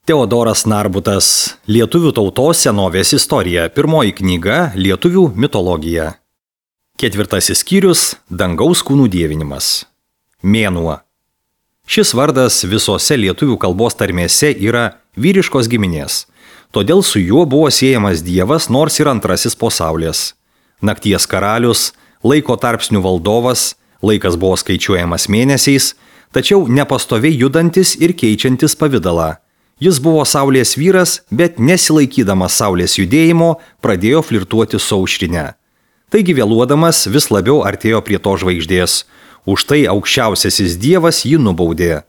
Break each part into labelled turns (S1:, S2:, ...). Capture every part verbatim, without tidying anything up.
S1: Teodoras Narbutas. Lietuvių tautos senovės istorija. Pirmoji knyga – Lietuvių mitologija. Ketvirtasis skyrius – Dangaus kūnų dievinimas. Mėnuo. Šis vardas visose lietuvių kalbos tarmėse yra vyriškos giminės. Todėl su juo buvo siejamas dievas, nors ir antrasis po saulės. Nakties karalius, laiko tarpsnių valdovas, laikas buvo skaičiuojamas mėnesiais, tačiau nepastoviai judantis ir keičiantis pavidalą. Jis buvo saulės vyras, bet nesilaikydamas saulės judėjimo pradėjo flirtuoti su aušrine. Taigi vėluodamas vis labiau artėjo prie to žvaigždės. Už tai aukščiausiasis dievas jį nubaudė.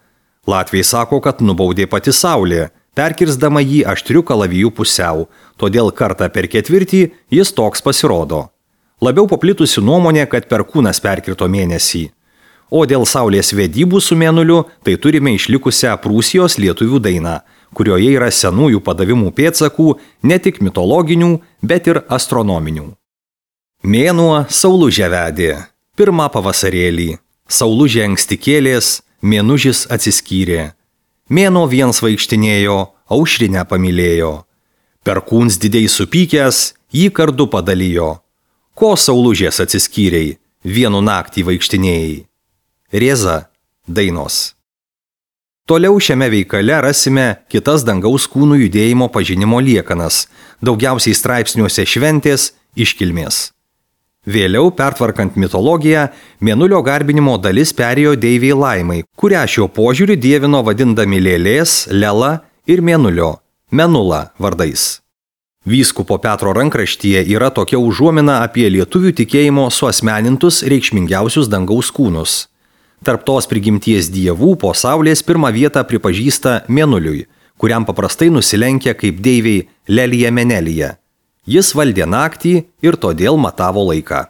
S1: Latviai sako, kad nubaudė pati saulė, perkirsdama jį aštriu kalaviju pusiau, todėl kartą per ketvirtį jis toks pasirodo. Labiau paplitusi nuomonė, kad Perkūnas perkirto mėnesį. O dėl saulės vedybų su mėnuliu, tai turime išlikusią Prūsijos lietuvių dainą, kurioje yra senųjų padavimų pėdsakų ne tik mitologinių, bet ir astronominių. Mėnuo saulužę vedė. Pirmą pavasarėlį. Saulužė anksti kėlės, mėnužis atsiskyrė. Mėnuo viens vaikštinėjo, aušrinę pamylėjo. Perkūns didiai supykęs, jį kardu padalijo. Ko saulužės atsiskyrei, vienu naktį vaikštinėjai? Rėza, dainos. Toliau šiame veikale rasime kitas dangaus kūnų judėjimo pažinimo liekanas, daugiausiai straipsniuose šventės, iškilmės. Vėliau, pertvarkant mitologiją, mėnulio garbinimo dalis perėjo deivei Laimai, kurią šiuo požiūriu dievino vadindami Lėlės, Lela ir Mėnulio, Menula vardais. Vyskupo Petro rankraštyje yra tokia užuomina apie lietuvių tikėjimo suasmenintus reikšmingiausius dangaus kūnus. Tarp tos prigimties dievų po saulės pirmą vietą pripažįsta Mėnuliui, kuriam paprastai nusilenkia kaip deiviai Lelija Menelija. Jis valdė naktį ir todėl matavo laiką.